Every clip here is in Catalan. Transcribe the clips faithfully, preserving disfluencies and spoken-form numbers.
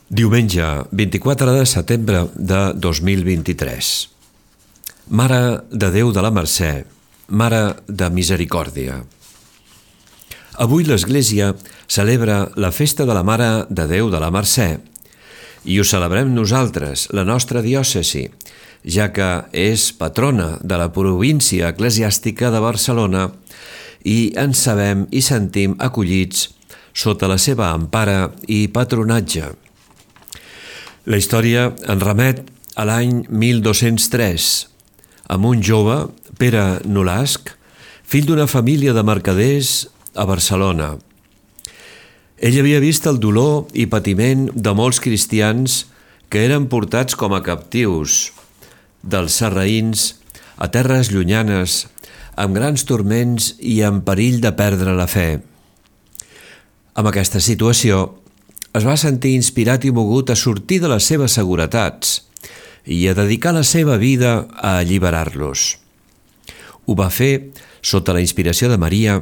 Diumenge, vint-i-quatre de setembre de dos mil vint-i-tres. Mare de Déu de la Mercè, Mare de Misericòrdia. Avui l'Església celebra la festa de la Mare de Déu de la Mercè i ho celebrem nosaltres, la nostra diòcesi, ja que és patrona de la província eclesiàstica de Barcelona i ens sabem i sentim acollits sota la seva empara i patronatge. La història en remet a l'any mil dos-cents tres, amb un jove, Pere Nolasc, fill d'una família de mercaders a Barcelona. Ell havia vist el dolor i patiment de molts cristians que eren portats com a captius dels sarraïns a terres llunyanes, amb grans turments i amb perill de perdre la fe. Amb aquesta situació, es va sentir inspirat i mogut a sortir de les seves seguretats i a dedicar la seva vida a alliberar-los. Ho va fer sota la inspiració de Maria,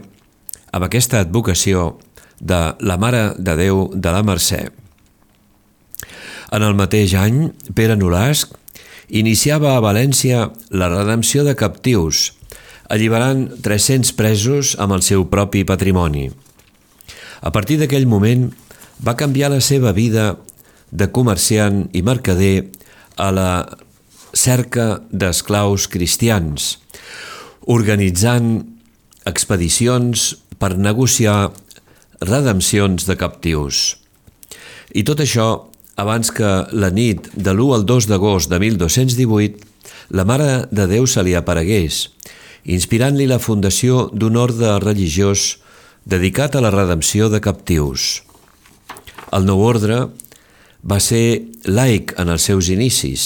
amb aquesta advocació de la Mare de Déu de la Mercè. En el mateix any, Pere Nolasc iniciava a València la redempció de captius, alliberant tres-cents presos amb el seu propi patrimoni. A partir d'aquell moment, va canviar la seva vida de comerciant i mercader a la cerca d'esclaus cristians, organitzant expedicions per negociar redempcions de captius. I tot això abans que la nit de l'u al dos d'agost de mil dos-cents divuit la Mare de Déu se li aparegués, inspirant-li la fundació d'un orde religiós dedicat a la redempció de captius. El nou ordre va ser laic en els seus inicis.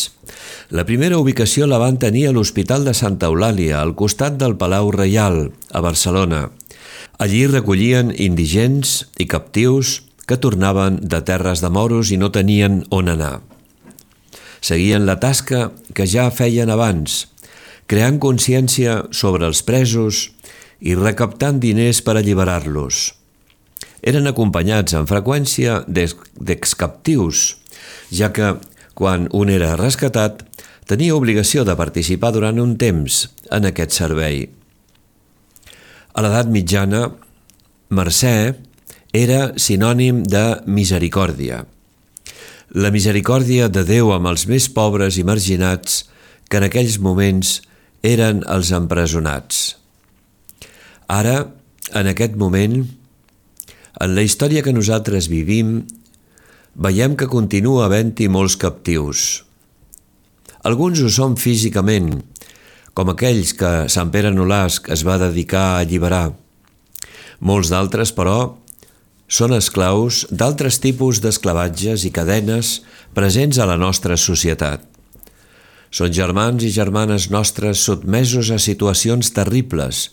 La primera ubicació la van tenir a l'Hospital de Santa Eulàlia, al costat del Palau Reial, a Barcelona. Allí recollien indigents i captius que tornaven de terres de moros i no tenien on anar. Seguien la tasca que ja feien abans, creant consciència sobre els presos i recaptant diners per alliberar-los. Eren acompanyats amb freqüència d'excaptius, ja que, quan un era rescatat, tenia obligació de participar durant un temps en aquest servei. A l'edat mitjana, Mercè era sinònim de misericòrdia. La misericòrdia de Déu amb els més pobres i marginats que en aquells moments eren els empresonats. Ara, en aquest moment, en la història que nosaltres vivim, veiem que continua havent-hi molts captius. Alguns ho són físicament, com aquells que Sant Pere Nolasc es va dedicar a alliberar. Molts d'altres, però, són esclaus d'altres tipus d'esclavatges i cadenes presents a la nostra societat. Són germans i germanes nostres sotmesos a situacions terribles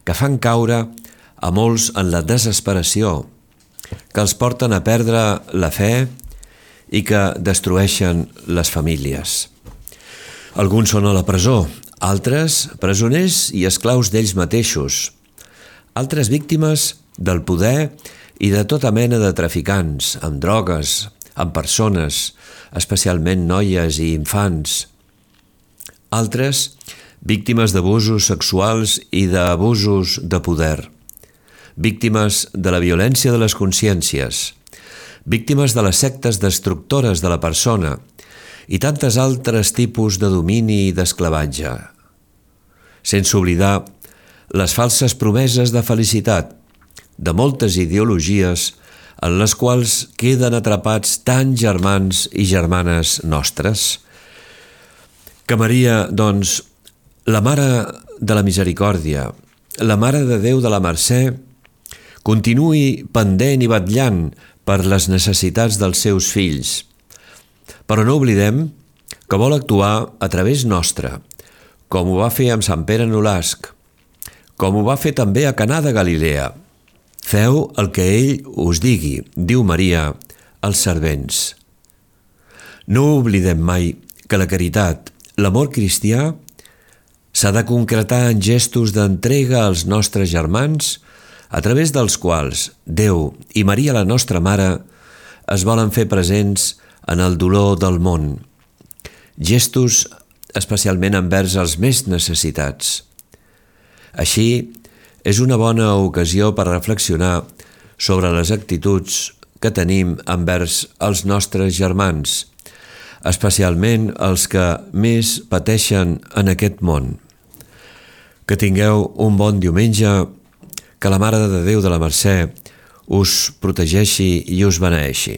que fan caure a molts en la desesperació, que els porten a perdre la fe i que destrueixen les famílies. Alguns són a la presó, altres presoners i esclaus d'ells mateixos, altres víctimes del poder i de tota mena de traficants, amb drogues, amb persones, especialment noies i infants. Altres víctimes d'abusos sexuals i d'abusos de poder. Víctimes de la violència de les consciències, víctimes de les sectes destructores de la persona i tantes altres tipus de domini i d'esclavatge. Sense oblidar les falses promeses de felicitat de moltes ideologies en les quals queden atrapats tants germans i germanes nostres. Que Maria, doncs, la Mare de la Misericòrdia, la Mare de Déu de la Mercè, continuï pendent i vetllant per les necessitats dels seus fills. Però no oblidem que vol actuar a través nostre, com ho va fer amb Sant Pere Nolasc, com ho va fer també a Caná de Galilea. Feu el que ell us digui, diu Maria als servents. No oblidem mai que la caritat, l'amor cristià, s'ha de concretar en gestos d'entrega als nostres germans, a través dels quals Déu i Maria, la nostra Mare, es volen fer presents en el dolor del món, gestos especialment envers els més necessitats. Així, és una bona ocasió per reflexionar sobre les actituds que tenim envers els nostres germans, especialment els que més pateixen en aquest món. Que tingueu un bon diumenge, que la Mare de Déu de la Mercè us protegeixi i us beneeixi.